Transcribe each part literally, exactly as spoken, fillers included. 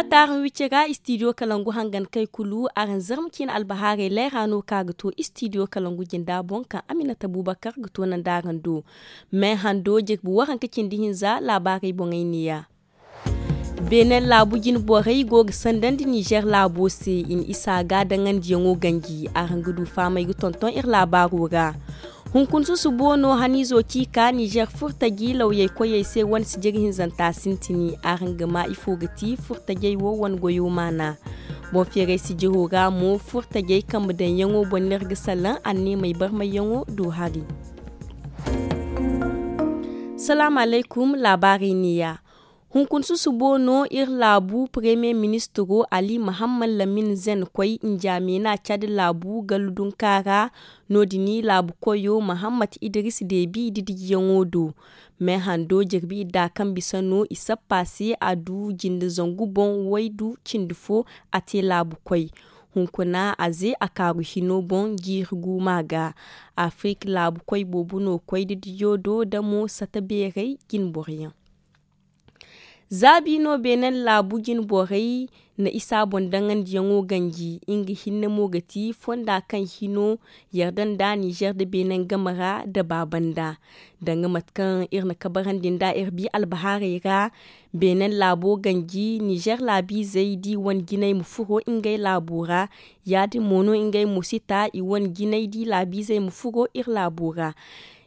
Taaraŋ wicce ga istidiyo kalangu hangan kay kulu araŋ zarma ciine albahaarey leera no ka ga to istidiyo kalangu jinda boŋ kaŋ aminata bubakar ga to nanda araŋ do. Me hando jirbi waranka cindi hinza laabaarey boŋey neeya. Beene laabu jine borey go ga sandandi nizer laabo se i na isa ga daŋandiyaŋo ganji araŋ ga du fahamey ga tonton iri laabaaro ra. Hunkuna susubo no haniizo ci ka nizer furtaji lawyey koyey se wane sijiri hinzanta sintini araŋ ga ma ifo ga ti furtajey wo wane goyo maana. Boŋ feeray sijiro ra mo furtajey kambe daŋyaŋo boŋ no iri ga salaŋ anneemey barmayyaŋo do hari. Salaamu alaykum. Laabaarey neeya. Hunkuna susubo no iri laabu premier ministiro ali mahamman lamin zen koy njaamina cadi laabu gallu dunka ra. No- din laabu koyo mahamman idris deebi didijiyaŋo do. Me hando jirbi idda kaŋ bisa no i sappa se a du jinde zangu boŋ waydu cindi fo. A te laabu koy hunkuna a ze a kaaru hino boŋ jiiri guuma ga. Afirik laabu koy boobo no koy didijo do damo sata beerey jine boroyaŋ. Zaabi no beenen laabu jine borey na isa boŋ daŋandiyaŋo ganji nga hinne mo ga ti fonda kaŋ hino yarda nda nizer nda beenen game ra nda baabanda. Danga mate kaŋ iri na kabarandi nda iri bi albahaarey ra. Beenen laabo ganji nizer laabiizey da i wane jinay ma furo ngey laabo ra. Ya- din mo no ngey mo si ta i wane jinay da i laabiizey ma furo iri laabo ra.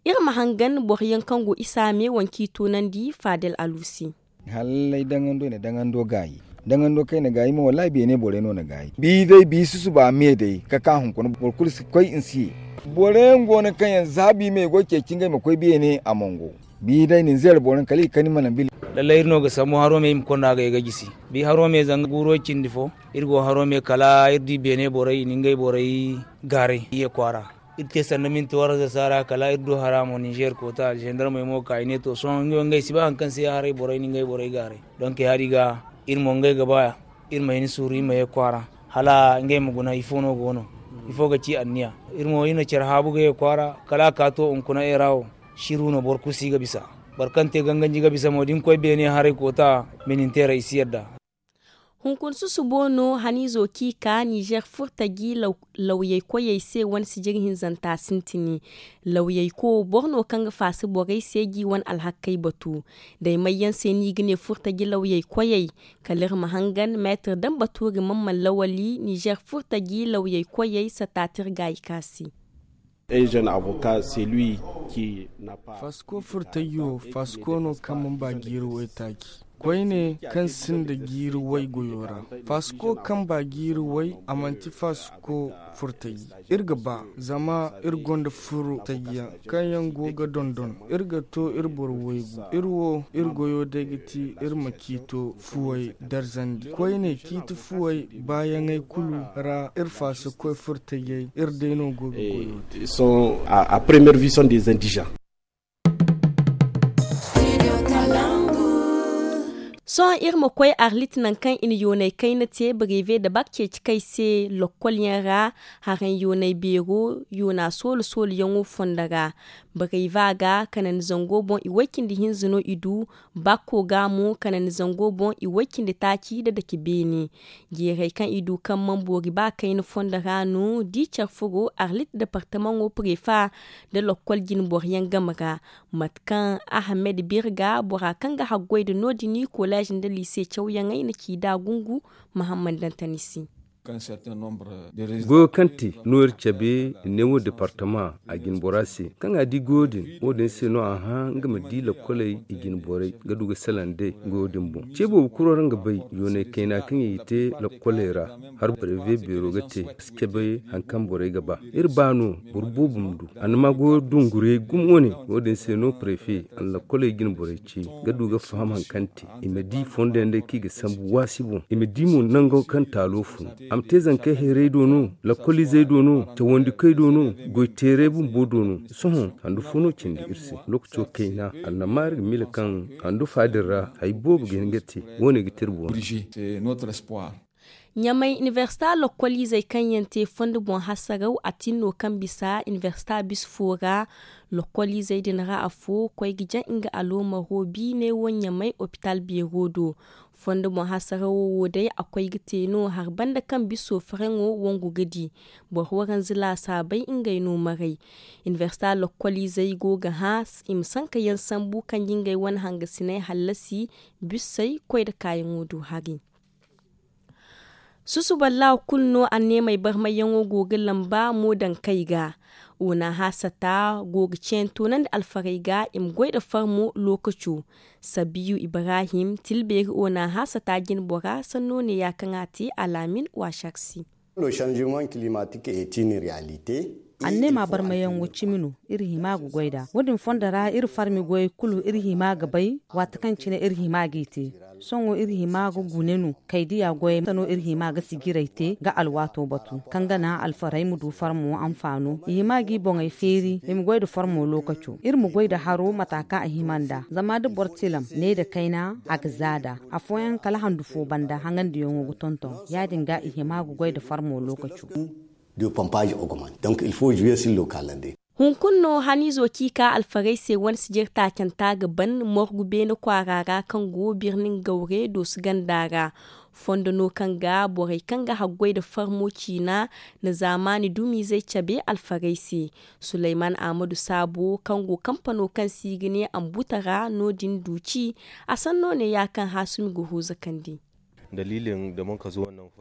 Iri ma hangan boro yaŋ kaŋ go isa me wanci toonandi faadel alu se. Hallay daŋando i na daŋando gaayi. Daŋando kaŋ i na gaayi mo wallaahi beene borey no na gaayi bi day bi susuba me day ka ka hunkuna boro kulu si koy nsi ye. Boro yaŋ go no kaŋ yaŋ za bi me go ceeci ngey ma koy beene a mongo. Bi day ninzeer boro yaŋ kala i kani mana bili. Lallay iri no ga sambu haro me i ma konda ga ye ga jisi. Bi haro me zanga guuro cindi fo iri go haro me kala iri di beene borey i na ngey borey gaaray i ye kwaara. Iri te sanda minti waranza saara kala iri du hara mo ninzeer koota alzendarmey mo ka i ne to sohõ ngey wo ngey si ba hari kaŋ se haray borey na ngey borey gaaray. Donk ya- din ga iri mo ngey ga ba iri ma hin suuru iri ma ye kwaara hala ngey ma guna ifo no go no? Ifo ga ci anniya? Iri mo iri na care haabu ga ye kwaara kala a ka to hunkuna era wo. Siru no boro kulu si ga bisa. Boro kaŋ te ganganji ga bisa mo da ni koy beene haray koota. Minintera i si yadda. Hunkuna susubo no haniizo kaŋ i ka nizer furtaji lawyey koyey se wane sijiri hinzanta sintini. Lawyey ko boro no kaŋ ga faasa borey se ga i wane alhakkey batu. Day may yaŋ se no i ga ne furtaji lawyey koyey? Kala iri ma hangan meetir daŋ batuuri man man lawali nizer furtaji lawyey koyey sataati iri gaayi ka se. Faasiko furtaji wo faasiko no kaŋ mana ba jiiri waytaaci. Koyne kaŋ sinda jiiri way goyo ra. Faasiko kaŋ ba jiiri way a manti faasiko furtaji. Iri ga ba zama iri gonda furtajiyaŋ kaŋ yaŋ go ga dondon. Iri ga to iri boro waygu iri wo iri goyo day ga ti iri ma ciito fuwey darzandi koyne ciiti fuwey baayaŋey kulu ra iri faasikoy furtajey iri day no go ga goyo te. Sont à à première vue sont des indigents. Sohõ iri ma koy arlit nankaŋ i na yoonay kayna te breve da bak ceeci kay se lokkolyaŋ ra. Haraŋ yoonay beero yoona soolu sooluyaŋo fondo ra. Breve ga kanandi zango boŋ i way cindi hinza no i du. Bakko ga mo kanandi zango boŋ i way cindi taaci da dake beene. Jeeray kaŋ i du kaŋ mana boori ba kayna fondo ra no di care furo arlit departamaŋo prefa da lokkol jine boro yaŋ game ra. Mate kaŋ ahamed birga bora kaŋ ga haggoy nda no- din koleez nda liise cawyaŋey na ci nd'a gungu. Mahammad dantani se. Goyo kaŋ te no iri cabe i ne wo departama a jine bora se kaŋ a di goyo din wo- din se no a hã nga ma di lakkoley i jine borey ga du ga salaŋ day goyo din boŋ ce boobo kuro ra nga bay yoonay kayna kaŋ i te lakkoley ra. Har breve beero ga te a si cabe hari kaŋ borey ga ba. Iri ba no boro boobo ma du a na ma goyo dungurey gumo wane wo- din se no prefe a na lakkoley jine borey ce ga du ga faham hari kaŋ te i ma di fondo yaŋ day kaŋ i ga sambu waasi boŋ i ma di mo nango kaŋ taalo fun. A ma te zankey hayrey do no, lakkoliizey do no, cawandikoy do no, goyteerey bumbo do no. Sohõ handu fo no cindi iri se. Lookaco kayna annama iri ga miila kaŋ handu fa din ra hari boobo ga hin ga te. Wo- ne ga te iri boŋ. Ɲamay inibersita lokkoliizey kaŋ yaŋ te fondo boŋ hasaraw a tin no kaŋ bisa inibersita bisa fo ra. Lokkoliizey din ra afo koy ga jaŋ nga aloomaro biine wo ɲamay opital beero do. Fondo boŋ hasarawo wo day a koy ga te no hari banda kaŋ biso faraŋo wangu ga di. Boro waranza laasaabey ngey no maray. Inibersita lokkoliizey go ga hã i ma sanka yaŋ sambu kaŋ ga ngey wane hangasiney hallasi. Bisey koy nda kaayaŋo do hari. Susuballah kulu no anneemey barmayyaŋo go ga lamba mo dankey ga. Onaha sata go ga ceeyanto nandi alfarey ga i ma goy nda farmo lookaco. Sabiyu ibrahim tilbeeri onaha sata jinbora sanno neeya kaŋ a te alaamin waasar se. Anneema barmayaŋo cimi no. Iri hima ga goy nd'a wo- din fondo ra iri farmi goyey kulu iri hima ga bay waati kaŋ cine iri hima g'i te. Sohõ iri hima ga gune no kay diya goyey mate no iri hima ga sijirey te ga alwaato batu kaŋ ga naŋ alfarey ma du farmo anfaano i hima g'i boŋey feeri i ma goy nda farmo lookaco iri ma goy nda haro mata kaŋ a hima nd'a zama da boro tilam ne nda kayna a ga za nd'a. Afooyaŋ kala handu fo banda haŋandiyaŋo ga tonton ya- din ga i hima ga goy nda farmo lookaco. Hunkuna no haniizo kaŋ i ka alfarey se wane sijir taacanta ga ban morgu beene kwaara ra kaŋ go birnin gawre doosu ganda ra. Fondo no kaŋ ga borey kaŋ ga haggoy nda farmo ciina na zaamaani dumiizey cabe alfarey se. Suleyman ahmadu saabo kaŋ go kampano kaŋ se i ga ne ambuta ra no- din du ci. A sanno neeya kaŋ haasumi ga huuza kandi.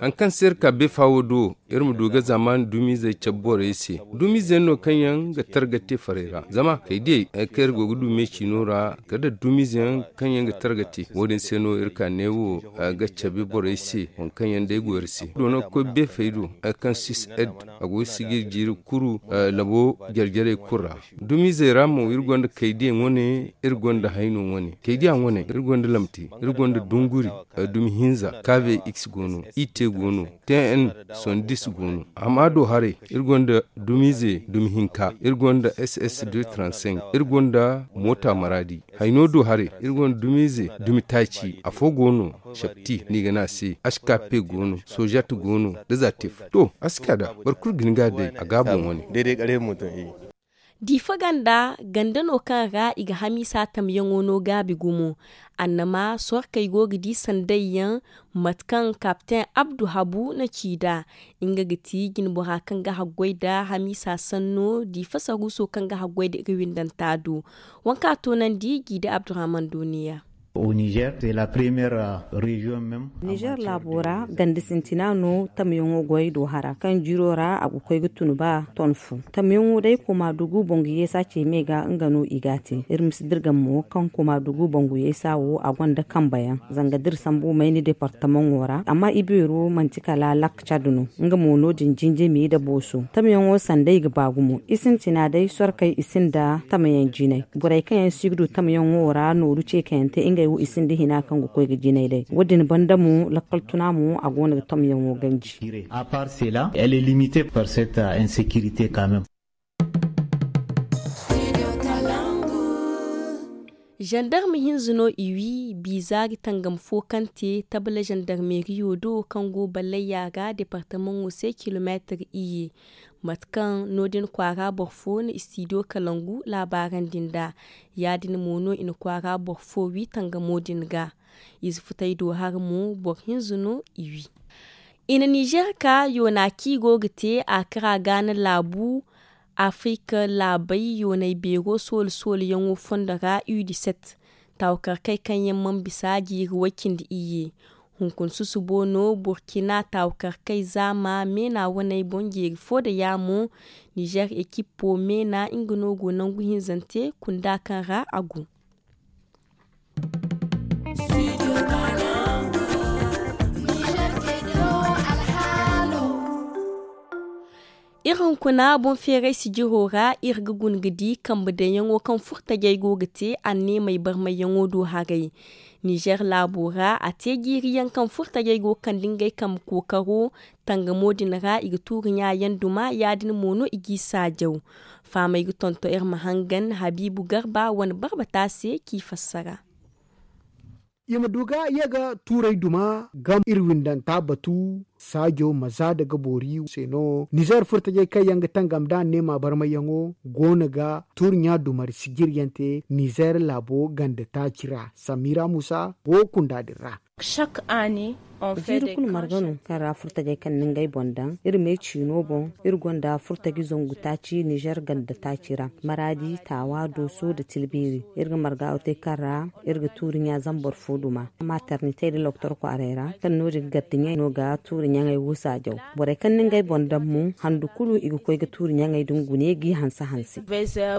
Hari kaŋ se iri ka beefa wo do iri ma du ga zaamaani dumiizey cabe borey se. Dumiize no kaŋ yaŋ ga targa te farey ra zama kay diyey hari kaŋ iri go ga du me ciino ra kala nda dumiize yaŋ kaŋ yaŋ ga targa te wo- din se no iri ka ne wo ga cabe borey se waŋ kaŋ yaŋ day go iri se doona ga koy beefey do hari kaŋ sis ed a go ga sijir jiiri kuru labo jare jarey kulu ra. Dumiizey ra mo iri gonda kay diya wane iri gonda hayno wane kay diya wane iri gonda lamte iri gonda dunguri, dumi hinza kave x go no ite go no, tn sondis go no. Amma do haray iri gonda dumiize dumi hinka iri gonda ss deux trente-cinq iri gonda moota maraadi. Hayno do haray iri gonda dumiize dumi taaci afo go no. Shapti no i ga ne a se askape go no sojat go no, da zatif to a si ka nd'a boro kulu ga hin ga a day a ga a boŋ wane. Diifa ganda ganda no kaŋ ra i ga hamiisa tamyaŋo no gaabi gumo. Annama sorkey go ga di sanday yaŋ mate kaŋ kapten abdu habu na ci nd'a. Nga ga ti jinbora kaŋ ga haggoy nda hamiisa sanno diifa saruuso kaŋ ga haggoy nda iri windanta do. Waŋ kaŋ a toonandi jiida abdurahman dooniya. Nizer laabo ra ganda sintina no tamyaŋo goy do hara kaŋ jiro ra a ga koy ga tun ba ton fo. Tamyaŋo day koma dugu bangu yeesa ce me ga nga no i ga a te iri ma si dirgam mo kaŋ koma dugu bangu yeesa wo a gonda kambe yaŋ zanga da iri sambu mayni departamaŋo ra amma i beero manti kala lak cad no. Nga mo no- din jinjimi nda booso tamyaŋo sanda i ga ba gumo i sintina day sorkey i sinda tamayaŋ jinay. Borey kaŋ yaŋ si ga du tamyaŋo ra nooru ceekayante ngey wo i sinda hina kaŋ ga koy ga jinay day wo- din banda mo lakkal tuna mo a go no ga tamyaŋo ganji. Zandarma hinza no i wi biiza ga tangam fo kaŋ te tabla zandarmeriyo do kaŋ go ballayya ga departamaŋo se kilomeetir iyye. Mate kaŋ no- din kwaara boro fo na istidiyo kalangu laabaarandi nd'a. Ya- din mo no i na kwaara boro fo wi tangamo din ga. Ize futay do hara mo boro hinza no i wi. I na nizer ka yoona kaŋ i go ga te a kara gaana laabu. Afirika laabey yoonay beero soole soole yaŋo fondo ra u dix-sept. Taawakarkey kaŋ yaŋ mana bisa jiiri way cindi iyye. Hunkuna susubo no burkina taawakarkey zaama meena waney boŋ jeeri fo nda yaamo. Nizer ekippo meena nga no go nangu hinzante kunda kaŋ ra a go. Iri hunkuna boŋ feeray sijiro ra iri ga guna ga di kambe daŋyaŋo kaŋ furtajey go ga te anneemey barmayyaŋo do haray. Nizer laabo ra a te jiiriyaŋ kaŋ furtajey go ga kande ngey kambe kookaro. Tangamo din ra i ga tuuri ɲaayaŋ duma ya- din mo no i g'i saajaw. Fahamey ga tonton iri ma hangan habiibu garba wane barbata se k'i fassara. I ma du ga ye ga tuuray duma gam iri windanta batu. Saajo ma za daga boori se no nizer furtajey kaŋ yaŋ ga tangam da anneema barmayyaŋo go no ga tuuri ɲa dumari sijiryaŋ te nizer laabo ganda taaci ra samira muusa go kunda din ra. Jiiri kulu marga no kaŋ ra furtajey kaŋ na ngey boŋ daŋ iri me ciino boŋ. Iri gonda furtaji zangu taaci nizer ganda taaci ra maraadi taawa dooso nda tilbeeri. Iri ga marga wo te kaŋ ra iri ga tuuri ɲa zambar fo duma maternite nda loktor kwaaray ra kaŋ no- din gardiɲey no ga tuuri ɲaŋey wo saajaw. Borey kaŋ na ngey boŋ daŋ mo handu kulu i ga koy ga tuuri ɲaŋey din gune g'i hanse hanse.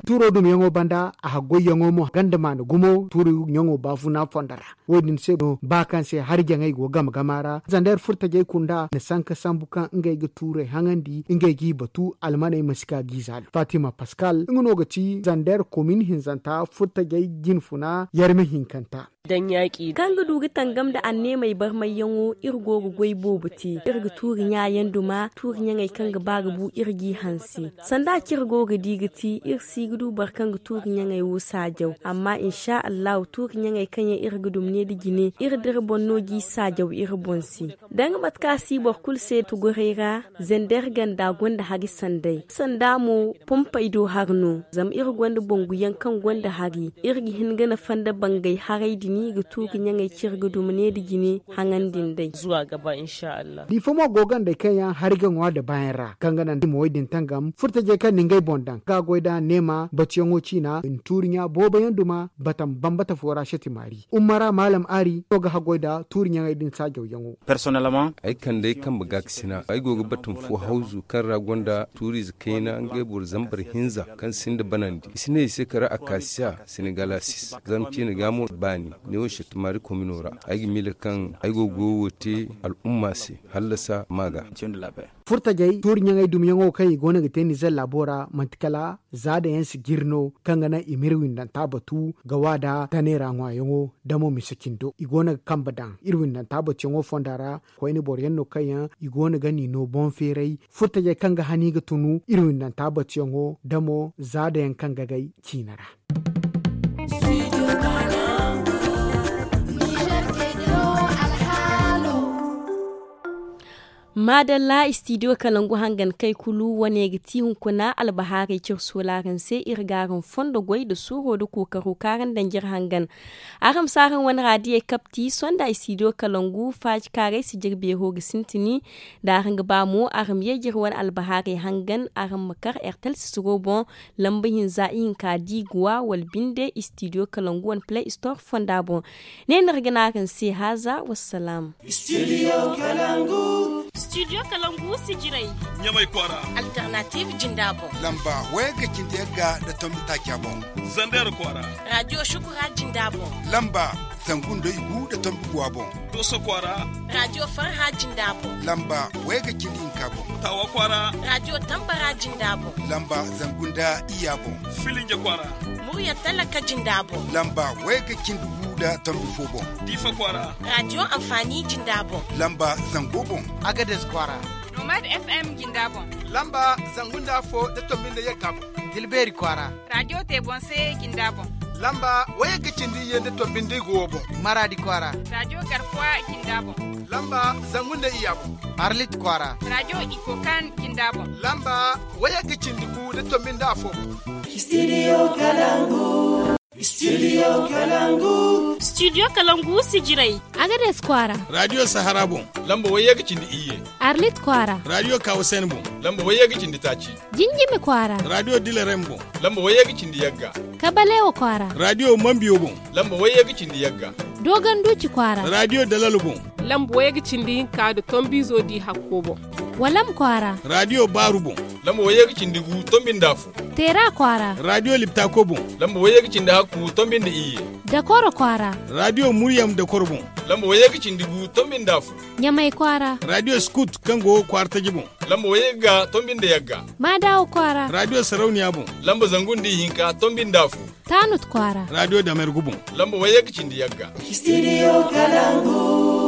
Tuuro dumyaŋo banda a haggoyyaŋo mo ganda maana gumo tuuri ɲaŋo baafuna fondo ra. Wo- din se no ba kaŋ se hari jaŋey go game game a ra zander furtajey kunda na sanka sambu kaŋ ngey ga tuurey haŋandi ngey g'i batu almaney ma si ka g'i zaalo fatima paskal nga no ga ci zander komin hinzanta furtajey jinfuna yarme hinkanta. Kaŋ ga du ga tangam nda anneemey barmayyaŋo iri go ga goy boobo te. Iri ga tuuri ɲa yaŋ duma tuuri ɲaŋey kaŋ ga ba ga bu iri g'i hanse. Sanda kaŋ iri go ga di ga ti iri si ga du boro kaŋ ga tuuri ɲaŋey wo saajaw amma insa allahu tuuri ɲaŋey kaŋ yaŋ iri ga duma ne nda jine iri dira boŋ no g'i saajaw iri boŋ se. Da nga mate kaŋ a si boro kulu se tuguray ra. Zander ganda gonda hari sanday sanda mo pompey do hari no zama iri gonda bangu yaŋ kaŋ gonda hari. Iri ga hin ga nafa nda bangay haray din ga tu ga ɲaŋey cire ga duma ne nda jine haŋandi nd'ey. Diifa mo go gandey kaŋ yaŋ hari ga ŋwa nda baayaŋ ra kaŋ ga naŋ da i ma wo- din tangam furtajey kaŋ na ngey boŋ daŋ ga goy nd'a neema batuyaŋo ciina i na tuuri ɲa boobo yaŋ duma batam bambata fo ra seti maari umma ra maalam aari no ga haggoy nda tuuri ɲaŋey din saajawyaŋo. Ay kande ay kambe ga ga sina ay go ga batam fo hawzu kaŋ ra gonda tuuriize kayna ngey boro zambar hinza kaŋ sinda banandi i si ne i se kala akasiya senegalasis zarma ciine ga mo baani ne wo shatamaari komino ra. Ay ga miila kaŋ ay go ga goyo wo te al'umma se hallasa ma ga. Furtajey tuuri ɲaŋey dumyaŋo kaŋ i go no ga te nizer laabo ra manti kala za da yaŋ si jiri no kaŋ ga naŋ i ma iri windanta batu ga wa nda tanay ra ŋwaayaŋo da mo mise cindo i go no ga kambe daŋ iri windanta batuyaŋo fonda ra. Koyne boro yaŋ no kaŋ yaŋ i go no ga ni no boŋ feeray furtajey kaŋ ga hani ga tunu iri windanta batuyaŋo da mo za da yaŋ kaŋ ga gay ciina ra. Maadalla istidiyo kalangu hangan kay kulu wane ga ti hunkuna albahaarey cire soolaaraŋ se iri ga araŋ fondo goy nda suuro nda kookaro kaŋ araŋ daŋ jire hangan. Araŋ ma si araŋ wane raadiyey kapti sonda istidiyo kalangu faaji kaarey si jire beero ga sintini. Da araŋ ga ba mo araŋ ma ye jire wane albahaarey hangan araŋ ma kar ertel sisiro boŋ lamba hinza ihinka di ga wa wala binde istidiyo kalangu wane play store fonda boŋ. Ne no iri ga ne araŋ se haaza wassalaam. Studio kalangu. Studio kalangu sijirey. Ɲamay kwaara. Alternative jinda boŋ. Lamba wayagga cindi yagga nda tombi taaca boŋ. Zander kwaara. Radio shukura jinda boŋ. Lamba zangu nda igu nda tombi guwa boŋ. Doso kwaara. Radio farha jinda boŋ. Lamba wayagga cindi hinka boŋ. Tawa kwaara. Radio tambara jinda boŋ. Lamba zangu nda iyya boŋ. Filinja kwaara. Murya talaka jinda boŋ. Lamba wayagga cindi gu nda tombi fo boŋ. Diifa kwaara. Radio anfaani jinda boŋ. Lamba zango boŋ. Agades kwaara. Nomad FM jinda boŋ. Lamba zangu nda afo nda tombi nda yagga boŋ. Dilbeeri kwaara. Radio te boŋ se jinda boŋ. Lamba wayagga cindi iyye nda tombi nda igu wo boŋ. Maraadi kwaara. Radio garkuwa jinda boŋ. Lamba zangu nda iyya boŋ. Arlit kwaara. Radio ikokan jinda boŋ. Lamba wayagga cindi gu nda tombi nda afo boŋ. Studio kalangu. Studio kalangu. Studio kalangu sijirey. Agades kwaara. Radio sahara boŋ. Lamba wayagga cindi iyye. Arlit kwaara. Radio kawasen boŋ. Lamba wayagga cindi taaci. Jinjimi kwaara. Radio dilerem boŋ. Lamba wayagga cindi yagga. Kabalewa kwaara. Radio mambiyo boŋ. Lamba wayagga cindi yagga. Doganduci kwaara. Radio dalalo boŋ. Lamba wayagga cindi hinka nda tombizo di hakko boŋ. Walam kwaara. Radio baaru boŋ. Lamba wayagga cindi gu tombi nda afo. Teera kwaara. Radio liptako boŋ. Lamba wayagga cindi hakku tombi nda iyye. Dakoro kwaara. Radio muryam dakoro boŋ. Lamba wayagga cindi gu tombi nda afo. Ɲamay kwaara. Radio skut kaŋ go kwaara taji boŋ. Lamba wayagga tombi nda yagga. Maadawa kwaara. Radio sarauniya boŋ. Lamba zangu nda ihinka tombi nda afo. Taanut kwaara. Radio damergu boŋ. Lamba wayagga cindi yagga. Studio kalangu.